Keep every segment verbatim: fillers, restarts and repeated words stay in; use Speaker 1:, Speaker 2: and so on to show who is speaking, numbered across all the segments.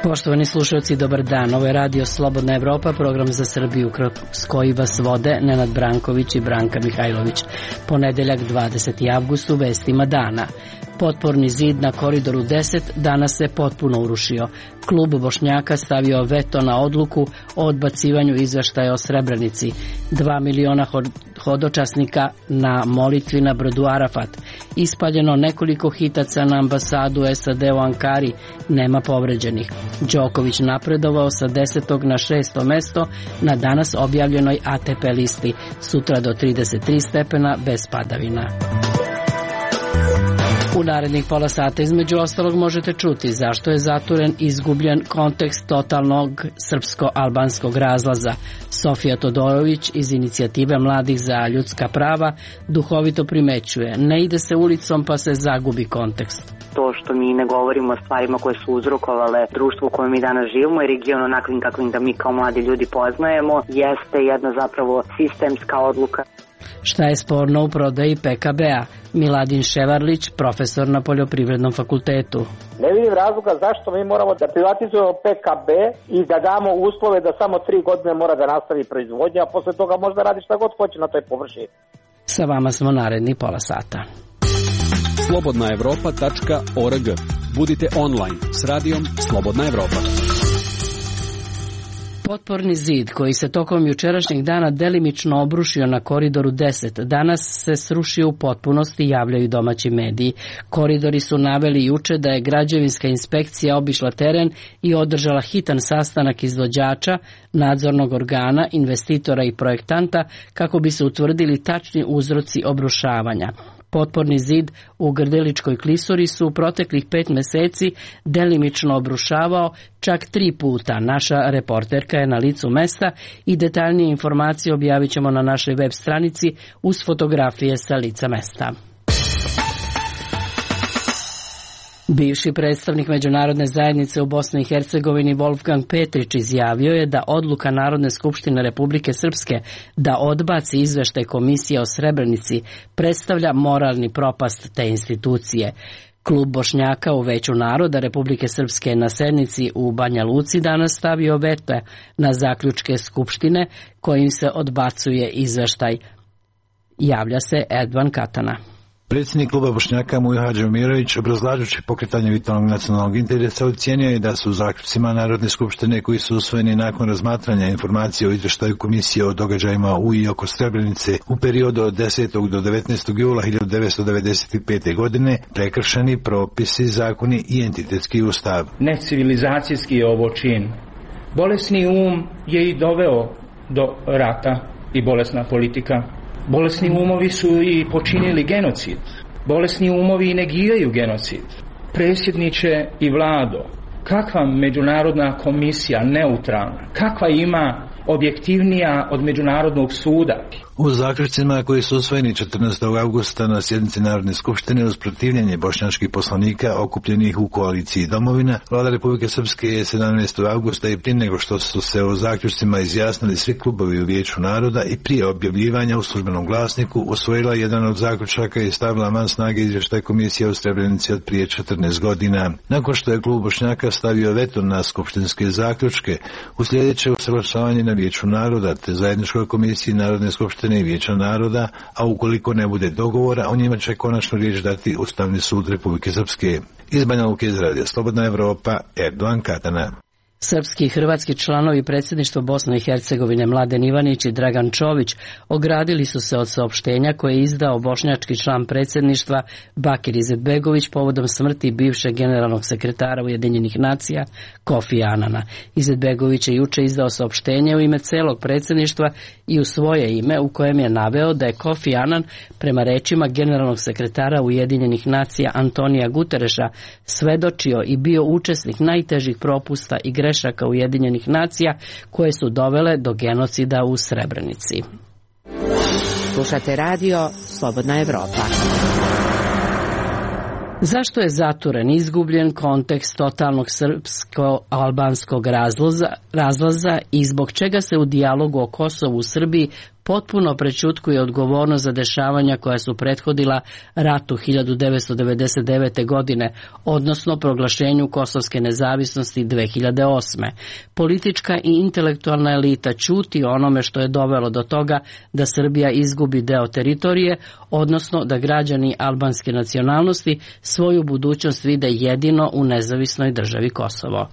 Speaker 1: Poštovani slušalci, dobar dan. Ovo je Radio Slobodna Evropa, program za Srbiju kroz koji vas vode Nenad Branković i Branka Mihajlović. Ponedeljak dvadeseti avgust u vestima dana. Potporni zid na Koridoru deset danas se potpuno urušio. Klub Bošnjaka stavio veto na odluku o odbacivanju izveštaja o Srebrenici. Dva miliona hodočasnika na molitvi na brdu Arafat. Ispaljeno nekoliko hitaca na ambasadu S A D u Ankari, nema povređenih. Đoković napredovao sa desetog na šesto mesto na danas objavljenoj A T P listi. Sutra do trideset tri stepena bez padavina. U narednih pola sata između ostalog možete čuti zašto je zaturen izgubljen kontekst totalnog srpsko-albanskog razlaza. Sofija Todorović iz Inicijative mladih za ljudska prava duhovito primećuje: ne ide se ulicom pa se zagubi kontekst.
Speaker 2: To što mi ne govorimo o stvarima koje su uzrokovale društvo u kojem mi danas živimo i region onakvim kakvim da mi kao mladi ljudi poznajemo, jeste jedna zapravo sistemska odluka.
Speaker 1: Šta je sporno u prodaji P K B-a? Miladin Ševarlić, profesor na Poljoprivrednom fakultetu.
Speaker 3: Ne vidim razloga zašto mi moramo da privatizujemo P K B i da damo uslove da samo tri godine mora da nastavi proizvodnja, a posle toga može da radi šta god hoće na toj površini.
Speaker 1: Sa vama smo naredni pola sata.
Speaker 4: slobodna evropa tačka org. Budite online s radijom Slobodna Evropa.
Speaker 1: Potporni zid koji se tokom jučerašnjeg dana delimično obrušio na Koridoru deset, danas se srušio u potpunosti, javljaju domaći mediji. Koridori su naveli juče da je građevinska inspekcija obišla teren i održala hitan sastanak izvođača, nadzornog organa, investitora i projektanta kako bi se utvrdili tačni uzroci obrušavanja. Potporni zid u Grdeličkoj klisuri su u proteklih pet meseci delimično obrušavao čak tri puta. Naša reporterka je na licu mesta i detaljnije informacije objavit ćemo na našoj web stranici uz fotografije sa lica mesta. Bivši predstavnik Međunarodne zajednice u Bosni i Hercegovini Wolfgang Petrić izjavio je da odluka Narodne skupštine Republike Srpske da odbaci izveštaj Komisije o Srebrenici predstavlja moralni propast te institucije. Klub Bošnjaka u Veću naroda Republike Srpske na sednici u Banja Luci danas stavio veto na zaključke Skupštine kojim se odbacuje izveštaj. Javlja se Edvan Katana.
Speaker 5: Predsjednik kluba Bošnjaka Mujo Hadžiomirović, obrazlažući pokretanje vitalnog nacionalnog interesa, ocijenio je da su u zaključcima Narodne skupštine koji su usvojeni nakon razmatranja informacije o izvještaju Komisije o događajima u i oko Srebrenice u periodu od desetog do devetnaestog jula hiljadu devetsto devedeset pete. godine prekršeni propisi, zakoni i entitetski ustav.
Speaker 6: Necivilizacijski je ovo čin. Bolesni um je i doveo do rata i bolesna politika. Bolesni umovi su i počinili genocid. Bolesni umovi i negiraju genocid. Predsjedniče i Vlado, kakva međunarodna komisija neutralna, kakva ima objektivnija od Međunarodnog suda?
Speaker 5: U zaključcima koji su usvojeni četrnaestog avgusta na sjednici Narodne skupštine uz protivljenje bošnjačkih poslanika okupljenih u koaliciji Domovina, Vlada Republike Srpske je sedamnaestog avgusta i prije nego što su se o zaključcima izjasnili svi klubovi u Vijeću naroda i prije objavljivanja u službenom glasniku usvojila jedan od zaključaka i stavila van snage izvještaj Komisije o Srebrenici od prije četrnaest godina. Nakon što je klub Bošnjaka stavio veto na skupštinske zaključke, uslijedit će usaglašavanje na Vijeću naroda te zajedničkoj komisiji Narodne skupštine i Vijeća naroda, a ukoliko ne bude dogovora, o njima će konačno riječ dati Ustavni sud Republike Srpske. Iz Banja Luke iz Radija Slobodna Evropa, Erdogan Katana.
Speaker 1: Srpski i hrvatski članovi predsjedništva Bosne i Hercegovine Mladen Ivanić i Dragan Čović ogradili su se od saopštenja koje je izdao bošnjački član predsjedništva Bakir Izetbegović povodom smrti bivšeg generalnog sekretara Ujedinjenih nacija Kofi Anana. Izetbegović je juče izdao saopštenje u ime celog predsjedništva i u svoje ime u kojem je naveo da je Kofi Anan prema rečima generalnog sekretara Ujedinjenih nacija Antonija Gutereša svedočio i bio učesnik najtežih propusta i grešaka Ujedinjenih nacija koje su dovele do genocida u Srebrenici.
Speaker 7: Slušate radio Slobodna Evropa.
Speaker 1: Zašto je zaturen, izgubljen kontekst totalnog srpsko-albanskog razlaza, razlaza i zbog čega se u dijalogu o Kosovu u Srbiji potpuno prećutkuje odgovornost za dešavanja koja su prethodila ratu hiljadu devetsto devedeset devete. godine, odnosno proglašenju kosovske nezavisnosti dve hiljade osme. Politička i intelektualna elita ćuti o onome što je dovelo do toga da Srbija izgubi deo teritorije, odnosno da građani albanske nacionalnosti svoju budućnost vide jedino u nezavisnoj državi Kosovo.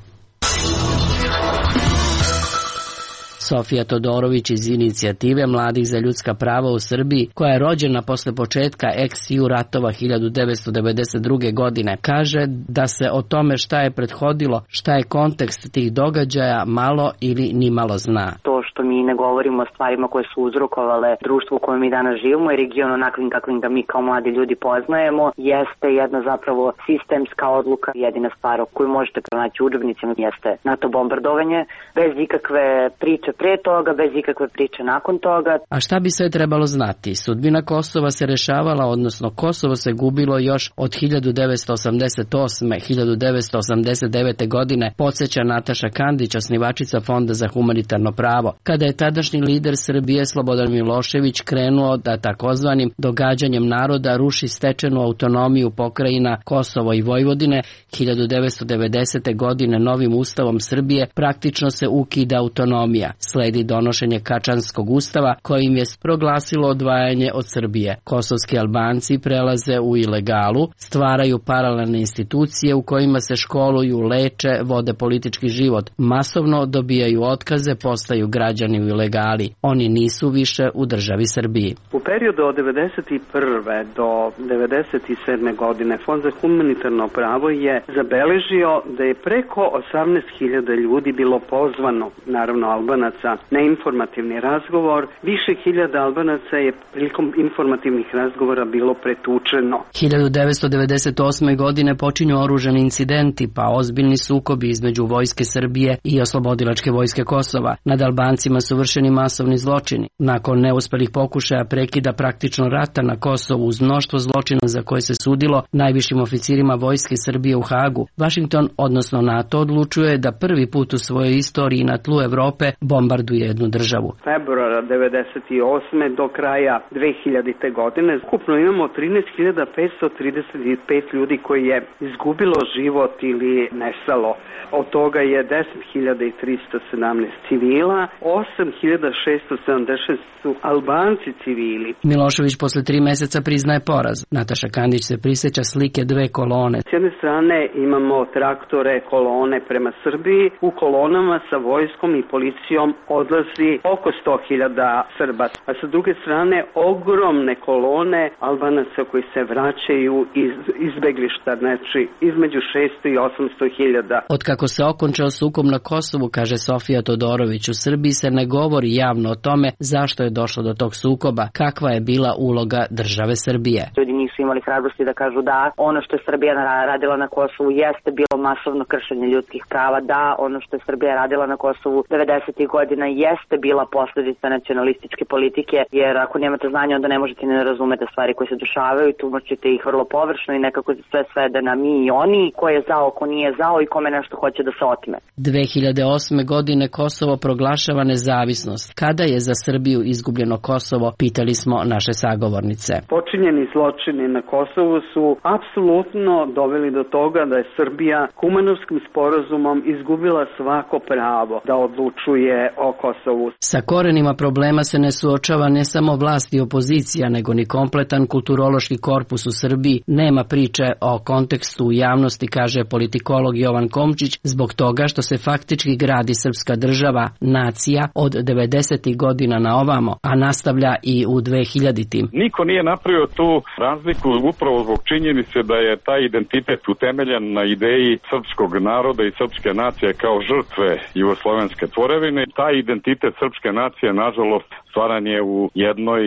Speaker 1: Sofija Todorović iz inicijative Mladih za ljudska prava u Srbiji, koja je rođena posle početka ex-ju ratova hiljadu devetsto devedeset druge. godine, kaže da se o tome šta je prethodilo, šta je kontekst tih događaja malo ili ni malo zna.
Speaker 2: To što mi ne govorimo o stvarima koje su uzrokovale društvo u kojem mi danas živimo i region onakvim kakvim ga mi kao mladi ljudi poznajemo, jeste jedna zapravo sistemska odluka. Jedina stvar koju možete pronaći u udžbenicima jeste NATO bombardovanje, bez ikakve priče pre toga, bez ikakve priče nakon toga.
Speaker 1: A šta bi sve trebalo znati? Sudbina Kosova se rešavala, odnosno Kosovo se gubilo još od hiljadu devetsto osamdeset osme. do hiljadu devetsto osamdeset devete. godine, podsjeća Nataša Kandić, osnivačica Fonda za humanitarno pravo, kada je tadašnji lider Srbije Slobodan Milošević krenuo da takozvanim događanjem naroda ruši stečenu autonomiju pokrajina Kosovo i Vojvodine. hiljadu devetsto devedesete. godine novim ustavom Srbije praktično se ukida autonomija. Sledi donošenje Kačanskog ustava kojim je proglasilo odvajanje od Srbije. Kosovski Albanci prelaze u ilegalu, stvaraju paralelne institucije u kojima se školuju, leče, vode politički život, masovno dobijaju otkaze, postaju građani u ilegali. Oni nisu više u državi Srbiji.
Speaker 8: U periodu od devedeset prve do devedeset sedme. godine Fond za humanitarno pravo je zabeležio da je preko osamnaest hiljada ljudi bilo pozvano, naravno Albanaca, na informativni razgovor. Više hiljada Albanaca je prilikom informativnih razgovora bilo pretučeno.
Speaker 1: hiljadu devetsto devedeset osme. godine počinju oružani incidenti, pa ozbiljni sukobi između vojske Srbije i oslobodilačke vojske Kosova. Nad Albancima su vršeni masovni zločini. Nakon neuspelih pokušaja prekida praktično rata na Kosovu uz mnoštvo zločina za koje se sudilo najvišim oficirima vojske Srbije u Hagu, Vašington, odnosno NATO, odlučuje da prvi put u svojoj istoriji na tlu Evrope bombarduje jednu državu.
Speaker 8: Februara devedeset osme. do kraja dve hiljadite. godine ukupno imamo trinaest hiljada petsto trideset pet ljudi koji je izgubilo život ili nestalo. Od toga je deset hiljada tristo sedamnaest civila, osam hiljada šessto sedamdeset šest su Albanci civili.
Speaker 1: Milošević posle tri meseca priznaje poraz. Nataša Kandić se prisjeća slike dve kolone.
Speaker 8: S jedne strane imamo traktore, kolone prema Srbiji. U kolonama sa vojskom i policijom odlazi oko sto hiljada Srba. A sa druge strane ogromne kolone Albanaca koji se vraćaju iz izbeglišta, znači između šesto i osamsto hiljada.
Speaker 1: Od kako se okončao sukob na Kosovu, kaže Sofija Todorović, u Srbiji se ne govori javno o tome zašto je došlo do tog sukoba, kakva je bila uloga države Srbije.
Speaker 2: Ljudi nisu imali hrabrosti da kažu da ono što je Srbija radila na Kosovu jeste bilo masovno kršenje ljudskih prava, da ono što je Srbija radila na Kosovu devedesetih godina jeste bila posljedica nacionalističke politike, jer ako nemate znanja onda ne možete ni da razumete stvari koje se dešavaju, tumačite ih vrlo površno i nekako se sve svede na mi i oni, ko je zao, ko nije zao i kome nešto hoće da se otme.
Speaker 1: dve hiljade osme. godine Kosovo proglašava nezavisnost. Kada je za Srbiju izgubljeno Kosovo, pitali smo naše sagovornice.
Speaker 8: Počinjeni zločini na Kosovu su apsolutno doveli do toga da je Srbija Kumanovskim sporazumom izgubila svako pravo da odlučuje o Kosovu.
Speaker 1: Sa korenima problema se ne suočava ne samo vlast i opozicija, nego ni kompletan kulturološki korpus u Srbiji. Nema priče o kontekstu u javnosti, kaže politikolog Jovan Komčić, zbog toga što se faktički gradi srpska država, nacija od devedesetih godina na ovamo, a nastavlja i u dvehiljaditim.
Speaker 9: Niko nije napravio tu razliku upravo zbog činjenice da je taj identitet utemeljen na ideji srpskog naroda i srpske nacije kao žrtve jugoslovenske tvorevine. Taj identitet srpske nacije, nažalost, stvaran je u jednoj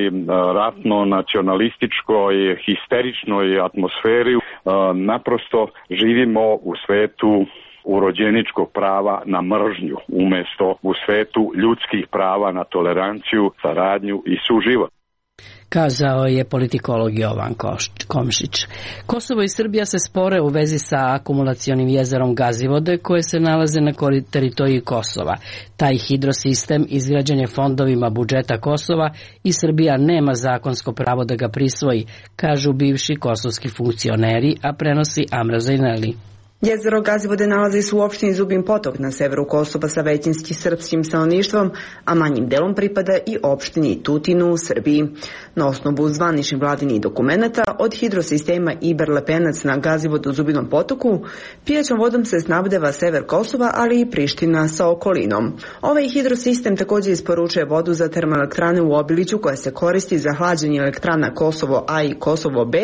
Speaker 9: ratno-nacionalističkoj, histeričnoj atmosferi. Naprosto živimo u svetu urođeničkog prava na mržnju, umjesto u svetu ljudskih prava na toleranciju, saradnju i suživot.
Speaker 1: kazao je politikolog Jovan Komšić. Kosovo i Srbija se spore u vezi sa akumulacionim jezerom Gazivode koje se nalaze na teritoriji Kosova. Taj hidrosistem izgrađen je fondovima budžeta Kosova i Srbija nema zakonsko pravo da ga prisvoji, kažu bivši kosovski funkcioneri, a prenosi Amra Zajneli.
Speaker 10: Jezero Gazivode nalazi se u opštini Zubin Potok na severu Kosova sa većinski srpskim stanovništvom, a manjim delom pripada i opštini Tutinu u Srbiji. Na osnovu zvaničnih vladinih dokumenata od hidrosistema Iber-Lepenac na Gazivodu u Zubinom Potoku, pijaćom vodom se snabdeva sever Kosova, ali i Priština sa okolinom. Ovaj hidrosistem također isporučuje vodu za termoelektrane u Obiliću koja se koristi za hlađenje elektrana Kosovo A i Kosovo B,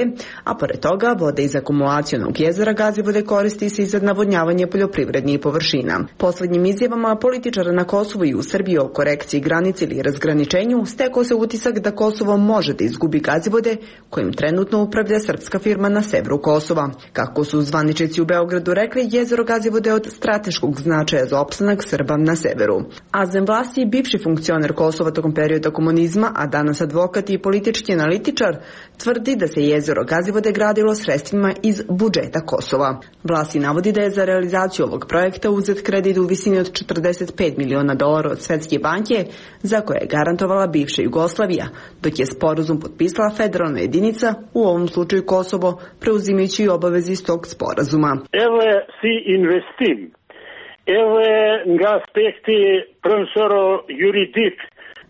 Speaker 10: a pored toga voda iz akumulacionog jezera Gazivode koristi se i za navodnjavanje poljoprivrednih površina. Poslednjim izjavama političara na Kosovu i u Srbiji o korekciji granice ili razgraničenju stekao se utisak da Kosovo može da izgubi Gazivode kojim trenutno upravlja srpska firma na severu Kosova. Kako su zvaničnici u Beogradu rekli, jezero Gazivode je od strateškog značaja za opstanak Srba na severu. Azem Vlasi, bivši funkcioner Kosova tokom perioda komunizma, a danas advokat i politički analitičar, tvrdi da se jezero Gazivode gradilo sredstvima iz budžeta Kosova. Vlasi navodi da je za realizaciju ovog projekta uzet kredit u visini od četrdeset pet miliona dolara od Svetske banke, za koje je garantovala bivša Jugoslavija, dok je sporazum potpisala federalna jedinica, u ovom slučaju Kosovo, preuzimajući obaveze iz tog sporazuma.
Speaker 11: Evo si investim. Evo nga aspekti profesoro juridik.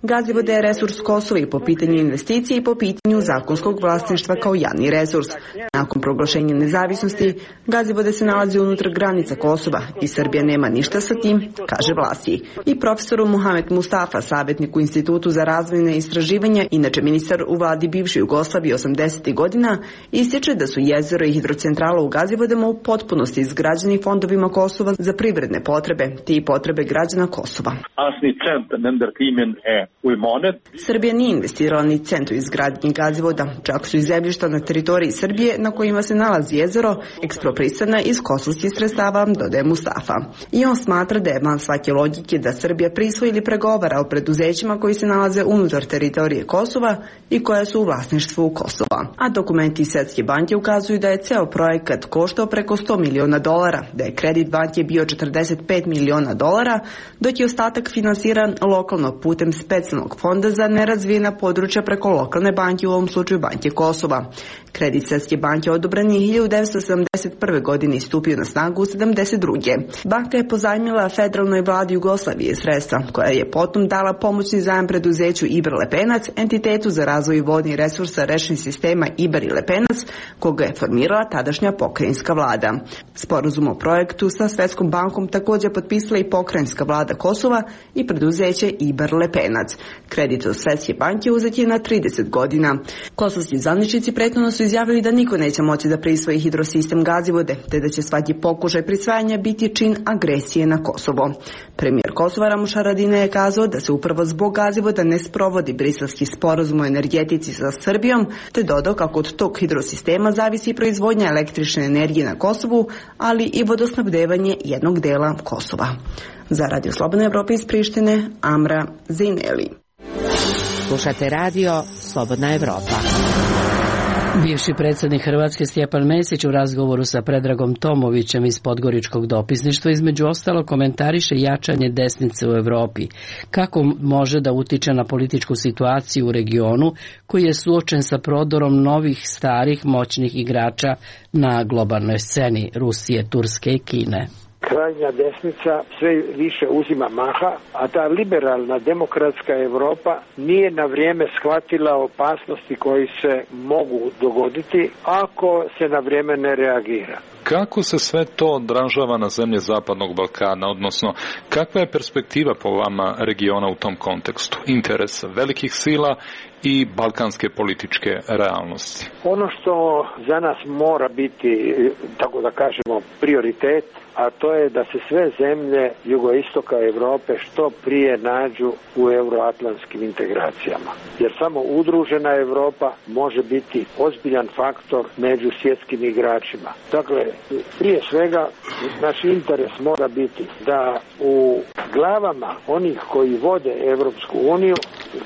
Speaker 10: Gazivode je resurs Kosova i po pitanju investicije i po pitanju zakonskog vlasništva kao javni resurs. Nakon proglašenja nezavisnosti, Gazivode se nalazi unutar granica Kosova i Srbija nema ništa sa tim, kaže Vlasi. I profesoru Muhamed Mustafa, savjetnik u Institutu za razvojne istraživanja, inače ministar u vladi bivše Jugoslavije osamdesetih godina, ističe da su jezero i hidrocentrala u Gazivodama u potpunosti izgrađeni fondovima Kosova za privredne potrebe, te i potrebe građana Kosova. Srbija nije investirala ni centu izgradnje Gazivoda, čak su i zemljišta na teritoriji Srbije na kojima se nalazi jezero eksproprisana iz kosovskih sredstava, dodaje Mustafa. I on smatra da je van svake logike da Srbija prisvoji ili pregovara o preduzećima koji se nalaze unutar teritorije Kosova i koja su u vlasništvu Kosova. A dokumenti Svetske banke ukazuju da je ceo projekat koštao preko sto miliona dolara, da je kredit banke bio četrdeset pet miliona dolara, dok je ostatak finansiran lokalno putem specijalnog fonda za nerazvijena područja preko lokalne banke, u ovom slučaju Banke Kosova. Kredit Svetske banke odobren je hiljadu devetsto sedamdeset prve. godine i stupio na snagu u sedamdeset druge. Banka je pozajmila federalnoj vladi Jugoslavije sredstva, koja je potom dala pomoćni zajam preduzeću Iber-Lepenac, entitetu za razvoj vodnih resursa rečnih sistema Iber i Lepenac, koga je formirala tadašnja pokrajinska vlada. Sporazum o projektu sa Svetskom bankom također potpisala i pokrajinska vlada Kosova i preduzeće Iber-Lepenac. Kredit od Svetske banke uzet je na trideset godina. Kosovski zvaničnici prethodno su izjavili da niko neće moći da prisvoji hidrosistem Gazivode, te da će svaki pokušaj prisvajanja biti čin agresije na Kosovo. Premijer Kosova Ramuš Haradinaj je kazao da se upravo zbog Gazivoda ne sprovodi briselski sporazum o energetici sa Srbijom, te dodao kako od tog hidrosistema zavisi proizvodnja električne energije na Kosovu, ali i vodosnabdevanje jednog dela Kosova. Za Radio Slobodna Evropa iz Prištine, Amra Zajneli.
Speaker 7: Slušate radio Slobodna Evropa.
Speaker 1: Bivši predsjednik Hrvatske Stjepan Mesić u razgovoru sa Predragom Tomovićem iz Podgoričkog dopisništva između ostalo komentariše jačanje desnice u Evropi. Kako može da utiče na političku situaciju u regionu koji je suočen sa prodorom novih starih moćnih igrača na globalnoj sceni Rusije, Turske i Kine.
Speaker 11: Krajnja desnica sve više uzima maha, a ta liberalna demokratska Evropa nije na vrijeme shvatila opasnosti koji se mogu dogoditi ako se na vrijeme ne reagira.
Speaker 12: Kako se sve to odražava na zemlje Zapadnog Balkana, odnosno kakva je perspektiva po vama regiona u tom kontekstu, interesa velikih sila i balkanske političke realnosti?
Speaker 11: Ono što za nas mora biti, tako da kažemo, prioritet, a to je da se sve zemlje jugoistoka Evrope što prije nađu u euroatlantskim integracijama. Jer samo udružena Evropa može biti ozbiljan faktor među svjetskim igračima. Dakle, prije svega naš interes mora biti da u glavama onih koji vode Evropsku uniju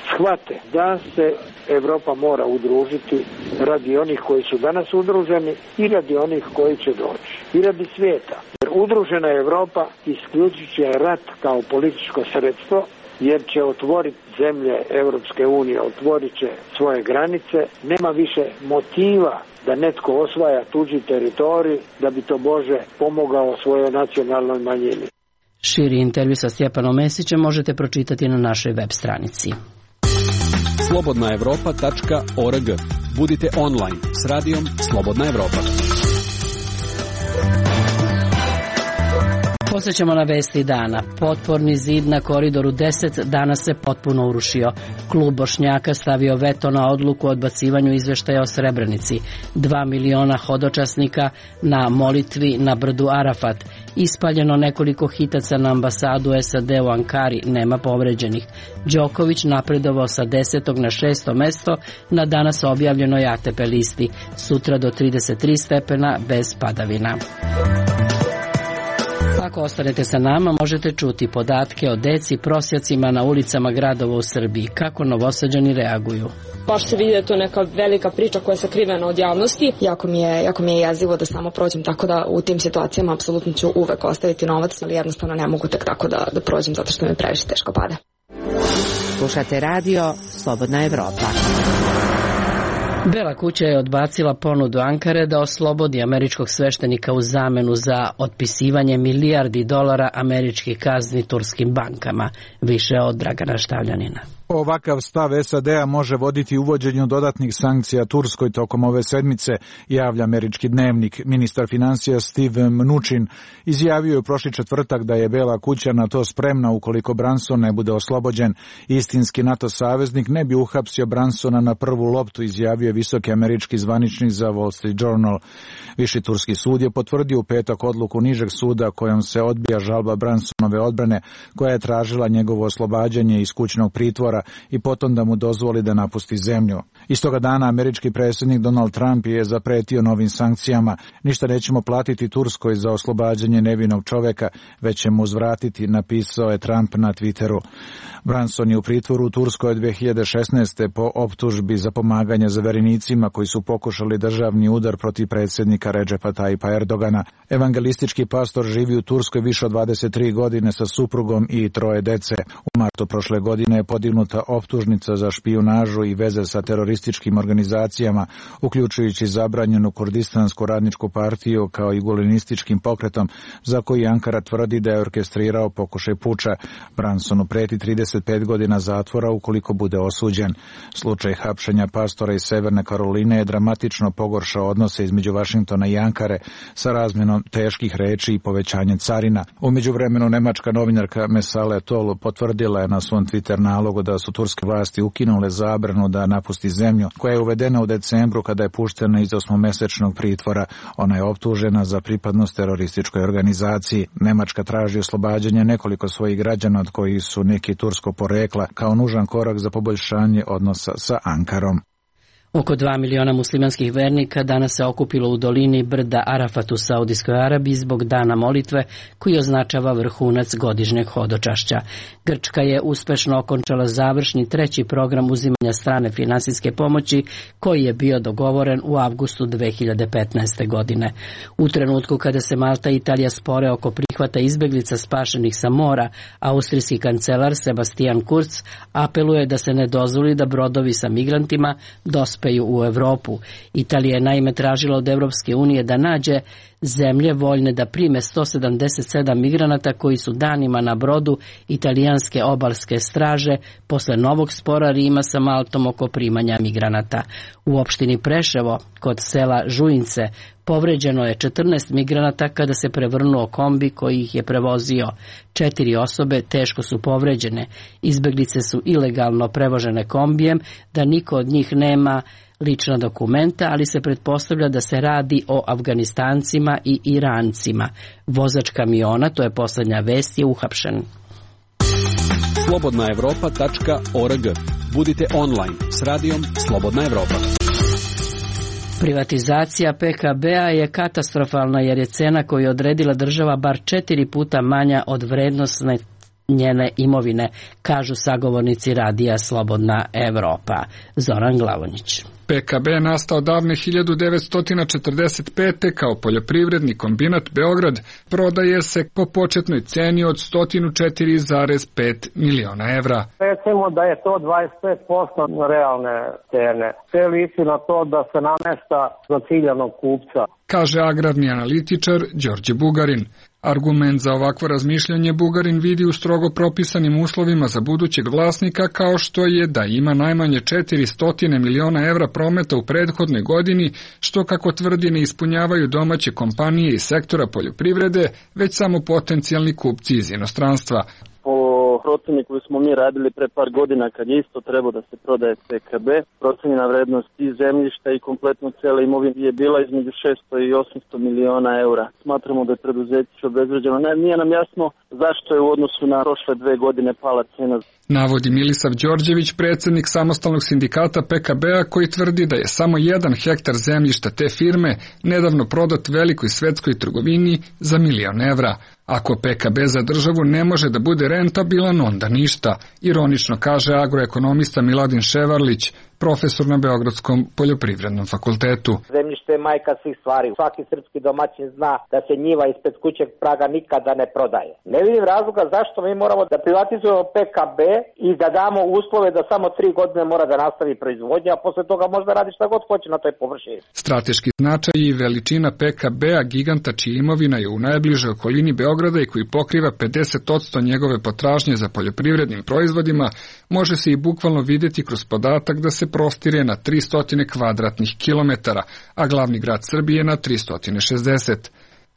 Speaker 11: shvate da se Evropa mora udružiti radi onih koji su danas udruženi i radi onih koji će doći. I radi svijeta. Jer udružena Evropa isključit će rat kao političko sredstvo, jer će otvoriti zemlje Evropske unije, otvorit će svoje granice, nema više motiva da netko osvaja tuđi teritorij da bi to Bože pomogao svojoj nacionalnoj manjini.
Speaker 1: Širi intervju sa Stjepanom Mesićem možete pročitati na našoj web stranici.
Speaker 4: slobodna evropa tačka org. Budite online s radijom Slobodna Evropa.
Speaker 1: Posjećamo na vesti dana. Potporni zid na koridoru deset danas se potpuno urušio. Klub Bošnjaka stavio veto na odluku o odbacivanju izveštaja o Srebrenici. Dva miliona hodočasnika na molitvi na brdu Arafat. Ispaljeno nekoliko hitaca na ambasadu S A D u Ankari, nema povređenih. Đoković napredovao sa desetog na šesto mesto na danas objavljenoj A T P listi. Sutra do trideset tri stepena bez padavina. Ako ostanete sa nama, možete čuti podatke o deci prosjacima na ulicama gradova u Srbiji. Kako Novosađani reaguju?
Speaker 13: Baš se vidi da je to neka velika priča koja je sakrivena od javnosti. Jako mi je, jako mi je jezivo da samo prođem, tako da u tim situacijama apsolutno ću uvek ostaviti novac, ali jednostavno ne mogu tek tako da, da prođem zato što mi previše teško pada.
Speaker 7: Slušate radio Slobodna Evropa.
Speaker 1: Bela kuća je odbacila ponudu Ankare da oslobodi američkog sveštenika u zamenu za otpisivanje milijardi dolara američkih kazni turskim bankama. Više od Dragana Štavljanina.
Speaker 14: Ovakav stav S A D-a može voditi uvođenju dodatnih sankcija Turskoj tokom ove sedmice, javlja američki dnevnik. Ministar financija Steve Mnuchin izjavio je prošli četvrtak da je Bela kuća na to spremna ukoliko Branson ne bude oslobođen. Istinski NATO saveznik ne bi uhapsio Bransona na prvu loptu, izjavio je visoki američki zvaničnik za Wall Street Journal. Viši turski sud je potvrdio u petak odluku nižeg suda kojom se odbija žalba Bransonove odbrane koja je tražila njegovo oslobađanje iz kućnog pritvora i potom da mu dozvoli da napusti zemlju. Istoga dana američki predsjednik Donald Trump je zapretio novim sankcijama. Ništa nećemo platiti Turskoj za oslobađanje nevinog čoveka, već ćemo uzvratiti, napisao je Trump na Twitteru. Branson je u pritvoru u Turskoj od dve hiljade šesnaeste. po optužbi za pomaganje zaverenicima koji su pokušali državni udar protiv predsjednika Redžepa Tajpa Erdogana. Evangelistički pastor živi u Turskoj više od dvadeset tri godine sa suprugom i troje dece. U martu prošle godine je podignuta optužnica za špijunažu i veze sa terorističkim organizacijama, uključujući zabranjenu Kurdistansku radničku partiju kao i gulenističkim pokretom, za koji Ankara tvrdi da je orkestrirao pokušaj puča. Bransonu preti trideset pet godina zatvora ukoliko bude osuđen. Slučaj hapšenja pastora iz Severne Karoline je dramatično pogoršao odnose između Vašingtona i Ankare sa razmjenom teških reči i povećanjem carina. U međuvremenu nemačka novinarka Mesale Tol potvrdila je na svom Twitter nalogu da su turske vlasti ukinule zabranu da napusti zemlju, koja je uvedena u decembru kada je puštena iz osmomesečnog pritvora. Ona je optužena za pripadnost terorističkoj organizaciji. Nemačka traži oslobađanje nekoliko svojih građana od kojih su neki turskog porekla kao nužan korak za poboljšanje odnosa sa Ankarom.
Speaker 1: Oko dva miliona muslimanskih vernika danas se okupilo u dolini brda Arafat u Saudijskoj Arabiji zbog dana molitve koji označava vrhunac godišnjeg hodočašća. Grčka je uspešno okončala završni treći program uzimanja strane finansijske pomoći koji je bio dogovoren u avgustu dve hiljade petnaeste. godine. U trenutku kada se Malta i Italija spore oko prihvata izbeglica spašenih sa mora, austrijski kancelar Sebastian Kurz apeluje da se ne dozvoli da brodovi sa migrantima dospeju u Evropu. Italija je naime tražila od Evropske unije da nađe zemlje voljne da prime sto sedamdeset sedam migranata koji su danima na brodu italijanske obalske straže posle novog spora Rima sa Maltom oko primanja migranata. U opštini Preševo, kod sela Žujince, povređeno je četrnaest migranata kada se prevrnuo kombi koji ih je prevozio. Četiri osobe teško su povređene. Izbeglice su ilegalno prevožene kombijem, da niko od njih nema lična dokumenta, ali se pretpostavlja da se radi o Afganistancima i Irancima. Vozač kamiona, to je poslednja vest, je uhapšen.
Speaker 4: slobodna evropa tačka org. Budite online s radijom Slobodna Evropa.
Speaker 1: Privatizacija P K B-a je katastrofalna jer je cena koju je odredila država bar četiri puta manja od vrednosne njene imovine, kažu sagovornici radija Slobodna Evropa. Zoran Glavonjić.
Speaker 15: P K B je nastao davne hiljadu devetsto četrdeset pete kao poljoprivredni kombinat Beograd, prodaje se po početnoj ceni od sto četiri zarez pet miliona evra.
Speaker 16: Recimo da je to dvadeset pet posto realne cene. Sve liči na to da se namešta za ciljanog kupca,
Speaker 15: kaže agrarni analitičar Đorđe Bugarin. Argument za ovakvo razmišljanje Bugarin vidi u strogo propisanim uslovima za budućeg vlasnika, kao što je da ima najmanje četiristo miliona evra prometa u prethodnoj godini, što kako tvrdi ne ispunjavaju domaće kompanije iz sektora poljoprivrede, već samo potencijalni kupci iz inostranstva.
Speaker 17: Po proceni koju smo mi radili pre par godina kad je isto trebao da se prodaje P K B, procenjena vrednost i zemljišta i kompletno cele imovine je bila između šesto i osamsto miliona eura. Smatramo da je preduzeće obezvređeno. Ne, nije nam jasno zašto je u odnosu na prošle dve godine pala cena.
Speaker 15: Navodi Milisav Đorđević, predsjednik samostalnog sindikata P K B-a, koji tvrdi da je samo jedan hektar zemljišta te firme nedavno prodat velikoj svetskoj trgovini za milion evra. Ako P K B za državu ne može da bude rentabilan, onda ništa, ironično kaže agroekonomista Miladin Ševarlić, profesor na Beogradskom poljoprivrednom fakultetu.
Speaker 3: Zemljište je majka svih stvari. Svaki srpski domaćin zna da se njiva ispred kućeg praga nikada ne prodaje. Ne vidim razloga zašto mi moramo da privatizujemo P K B i da damo uslove da samo tri godine mora da nastavi proizvodnja, a posle toga može da radi šta god hoće na toj površini.
Speaker 15: Strateški značaj i veličina P K B-a, giganta čija imovina je u najbližoj okolini Beograda i koji pokriva pedeset posto njegove potražnje za poljoprivrednim proizvodima, može se i bukvalno vidjeti kroz podatak da se prostire na tristo kvadratnih kilometara, a glavni grad Srbije na tristo šezdeset.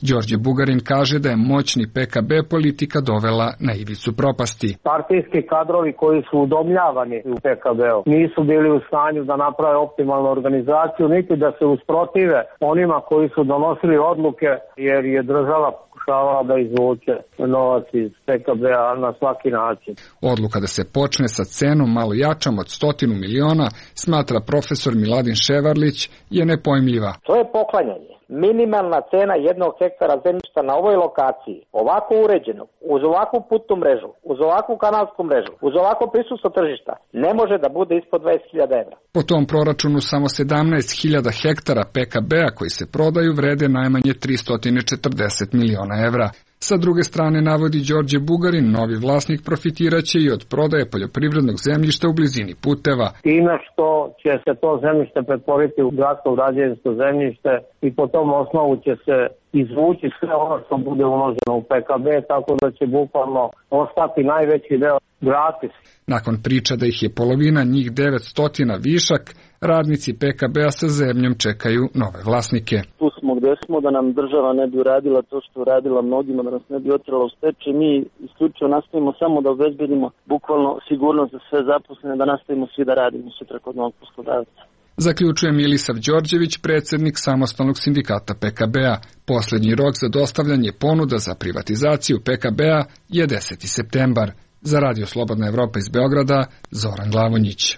Speaker 15: Đorđe Bugarin kaže da je moćni P K B politika dovela na ivicu propasti.
Speaker 16: Partijski kadrovi koji su udomljavani u P K B-u nisu bili u stanju da naprave optimalnu organizaciju, niti da se usprotive onima koji su donosili odluke, jer je država pokušavala da izvuče novac iz P K B-a na svaki način.
Speaker 15: Odluka da se počne sa cenom malo jačom od stotinu miliona, smatra profesor Miladin Ševarlić, je nepojmljiva.
Speaker 3: To je poklanjanje. Minimalna cena jednog hektara zemljišta na ovoj lokaciji, ovako uređeno, uz ovakvu putnu mrežu, uz ovakvu kanalsku mrežu, uz ovako prisustvo tržišta, ne može da bude ispod dvadeset hiljada evra.
Speaker 15: Po tom proračunu samo sedamnaest hiljada hektara P K B-a koji se prodaju vrede najmanje tristo četrdeset miliona evra. Sa druge strane, navodi Đorđe Bugarin, novi vlasnik profitiraće i od prodaje poljoprivrednog zemljišta u blizini puteva.
Speaker 16: Time što će se to zemljište pretvoriti u gradsko građevinsko zemljište i po tom osnovu će se izvući sve ono što bude uloženo u P K B, tako da će bukvalno ostati najveći deo gratis.
Speaker 15: Nakon priča da ih je polovina, njih devetsto višak, radnici P K B-a sa zemljom čekaju nove vlasnike.
Speaker 17: Tu smo gde smo, da nam država ne bi uradila to što uradila mnogima, da nas ne bi otrala u stečaj. Mi isključivo nastavimo samo da obezbedimo bukvalno sigurnost za sve zaposlene, da nastavimo svi da radimo sutra kod novog poslodavca.
Speaker 15: Zaključuje Milisav Đorđević, predsjednik samostalnog sindikata P K B-a. Poslednji rok za dostavljanje ponuda za privatizaciju P K B-a je deseti septembar. Za Radio Slobodna Evropa iz Beograda, Zoran Glavonjić.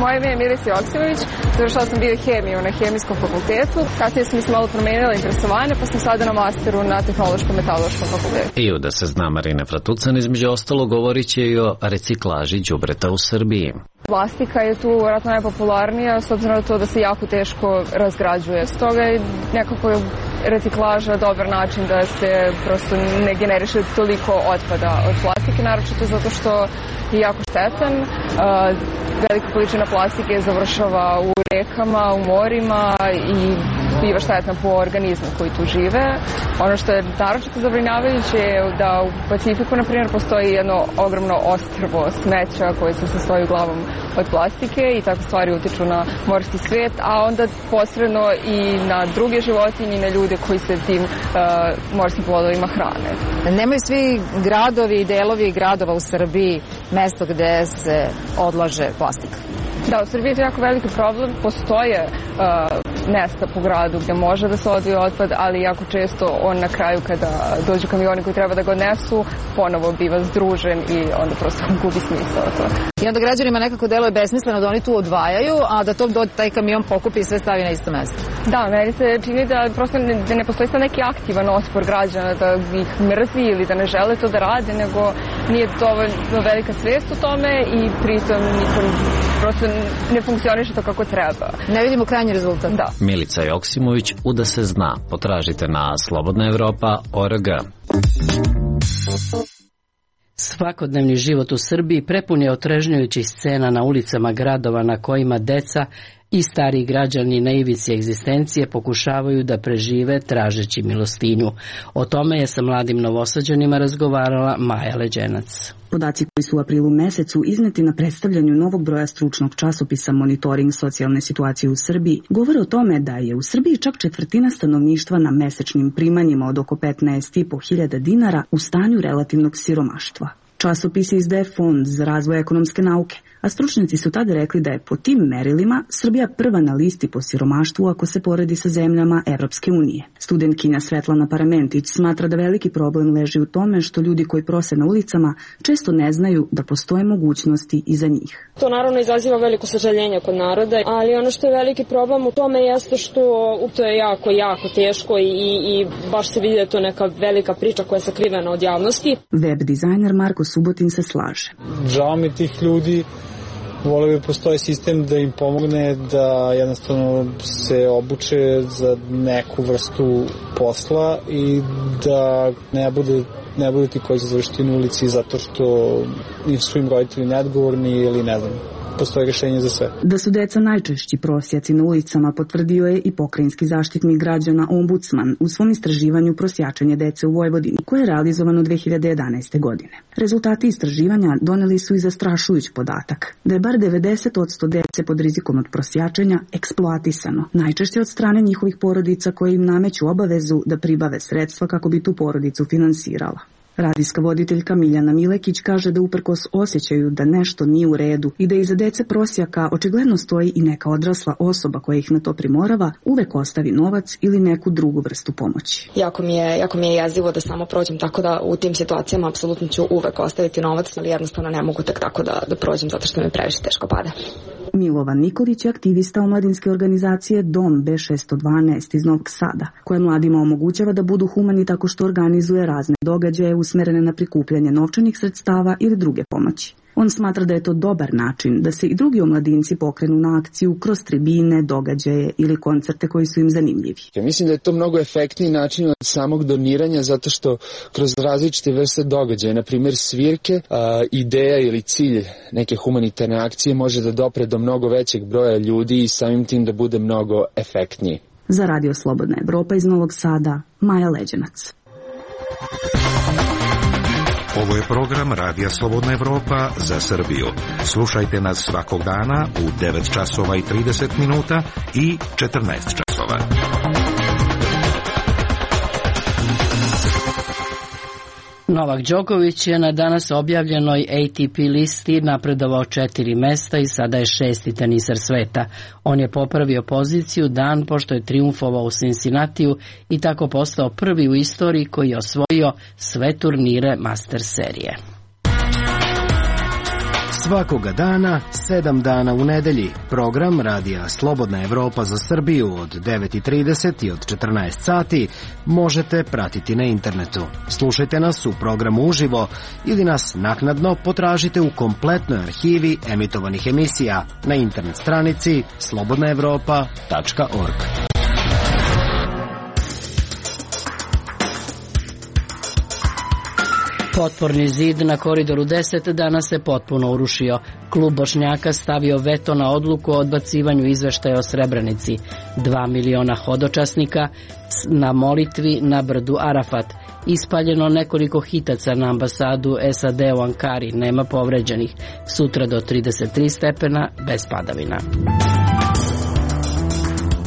Speaker 18: Moje ime je Miris Joksimović, završala sam biohemiju na Hemijskom fakultetu, kasnije sam se malo promenila interesovanje, pa sam sada na masteru na Tehnološko-metaloškom fakultetu.
Speaker 19: I u Da se zna Marina Fratucan, između ostalo, govorit će i o reciklaži đubreta u Srbiji.
Speaker 18: Plastika je tu vjerojatno najpopularnija, s obzirom na to da se jako teško razgrađuje. Stoga je nekako reciklaža dobar način da se prosto ne generiše toliko otpada od plastike, naročito zato što je jako štetan. Velika količina plastike završava u rekama, u morima i biva štetna po organizmu koji tu žive. Ono što je naročito zabrinjavajuće je da u Pacifiku, na primjer, postoji jedno ogromno ostrvo smeća koje se sastoji uglavnom od plastike i takve stvari utiču na morski svet, a onda posredno i na druge životinje i na ljude koji se tim uh, morskim plodovima hrane.
Speaker 20: Nemaju svi gradovi i delovi gradova u Srbiji mesto gde se odlaže plastika?
Speaker 18: Da, u Srbiji je to jako veliki problem. Postoje uh, mesta po gradu gde može da se odvoji otpad, ali jako često on na kraju kada dođu kamioni koji treba da ga odnesu, ponovo biva združen i onda prosto gubi smisao to.
Speaker 20: I onda građanima nekako deluje besmisleno da oni tu odvajaju, a da to taj kamion pokupi i sve stavi na isto mesto.
Speaker 18: Da, meni se čini da prosto ne, da ne postoji sad neki aktivan otpor građana da ih mrzi ili da ne žele to da rade, nego nije dovoljno velika svest o tome i pritom nikom prosto ne funkcioniše to kako treba.
Speaker 20: Ne vidimo krajnji rezultat.
Speaker 18: Da.
Speaker 19: Milica Joksimović, U da se zna. Potražite na slobodna evropa tačka org.
Speaker 1: Svakodnevni život u Srbiji prepun je otrežnjujućih scena na ulicama gradova na kojima deca i stariji građani na ivici egzistencije pokušavaju da prežive tražeći milostinju. O tome je sa mladim Novosađanima razgovarala Maja Leđenac.
Speaker 21: Podaci koji su u aprilu mesecu izneti na predstavljanju novog broja stručnog časopisa Monitoring socijalne situacije u Srbiji govore o tome da je u Srbiji čak četvrtina stanovništva na mesečnim primanjima od oko petnaest i po hiljada dinara u stanju relativnog siromaštva. Časopis izdaje Fond za razvoj ekonomske nauke, a stručnjaci su tada rekli da je po tim merilima Srbija prva na listi po siromaštvu ako se poredi sa zemljama Evropske unije. Studentkinja Svetlana Paramentić smatra da veliki problem leži u tome što ljudi koji prose na ulicama često ne znaju da postoje mogućnosti i za njih.
Speaker 13: To naravno izaziva veliko sažaljenje kod naroda, ali ono što je veliki problem u tome jeste što to je jako, jako teško i, i baš se vidi da je to neka velika priča koja je sakrivena od javnosti.
Speaker 21: Web dizajner Marko Subotin se slaže.
Speaker 22: Žao mi tih ljudi, volio bi postoji sistem da im pomogne da jednostavno se obuče za neku vrstu posla i da ne bude, ne bude ti koji će završiti na ulici zato što su im roditelji neodgovorni ili ne znam. Postoje rješenje za sve.
Speaker 21: Da su deca najčešći prosjaci na ulicama potvrdio je i pokrajinski zaštitnik građana Ombudsman u svom istraživanju prosjačenja dece u Vojvodini koje je realizovano dve hiljade jedanaeste. godine. Rezultati istraživanja doneli su i zastrašujuć podatak da je bar devedeset posto dece pod rizikom od prosjačenja eksploatisano, najčešće od strane njihovih porodica koje im nameću obavezu da pribave sredstva kako bi tu porodicu finansirala. Radijska voditeljka Miljana Milekić kaže da uprkos osjećaju da nešto nije u redu i da iza dece prosjaka očigledno stoji i neka odrasla osoba koja ih na to primorava, uvek ostavi novac ili neku drugu vrstu pomoći.
Speaker 13: Jako mi je, jako mi je jezivo da samo prođem, tako da u tim situacijama apsolutno ću uvek ostaviti novac, ali jednostavno ne mogu tek tako da, da prođem zato što mi previše teško pada.
Speaker 21: Milovan Nikolić je aktivista omladinske organizacije Dom B šesto dvanaest iz Novog Sada, koja mladima omogućava da budu humani tako što organizuje razne događaje usmerene na prikupljanje novčanih sredstava ili druge pomoći. On smatra da je to dobar način da se i drugi omladinci pokrenu na akciju kroz tribine, događaje ili koncerte koji su im zanimljivi.
Speaker 23: Ja mislim da je to mnogo efektniji način od samog doniranja zato što kroz različite vrste događaja, na primjer svirke, a, ideja ili cilj neke humanitarne akcije može da dopre do mnogo većeg broja ljudi i samim tim da bude mnogo efektniji.
Speaker 21: Za Radio Slobodna Evropa iz Novog Sada, Maja Leđenac.
Speaker 24: Ovo je program Radija Slobodna Evropa za Srbiju. Slušajte nas svakog dana u devet časova i trideset minuta i četrnaest časova.
Speaker 1: Novak Đoković je na danas objavljenoj A T P listi napredovao četiri mesta i sada je šesti teniser sveta. On je popravio poziciju dan pošto je triumfovao u Cincinnatiju i tako postao prvi u istoriji koji je osvojio sve turnire Master serije.
Speaker 25: Svakoga dana, sedam dana u nedelji, program Radija Slobodna Evropa za Srbiju od devet i trideset i od četrnaest sati možete pratiti na internetu. Slušajte nas u programu uživo ili nas naknadno potražite u kompletnoj arhivi emitovanih emisija na internet stranici slobodna evropa tačka org.
Speaker 1: Potporni zid na Koridoru deset danas se potpuno urušio. Klub Bošnjaka stavio veto na odluku o odbacivanju izveštaja o Srebrenici. Dva miliona hodočasnika na molitvi na brdu Arafat. Ispaljeno nekoliko hitaca na ambasadu S A D u Ankari. Nema povređenih. Sutra do trideset tri stepena bez padavina.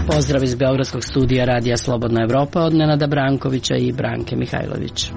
Speaker 1: Pozdrav iz Beogradskog studija Radija Slobodna Evropa od Nenada Brankovića i Branke Mihajlović.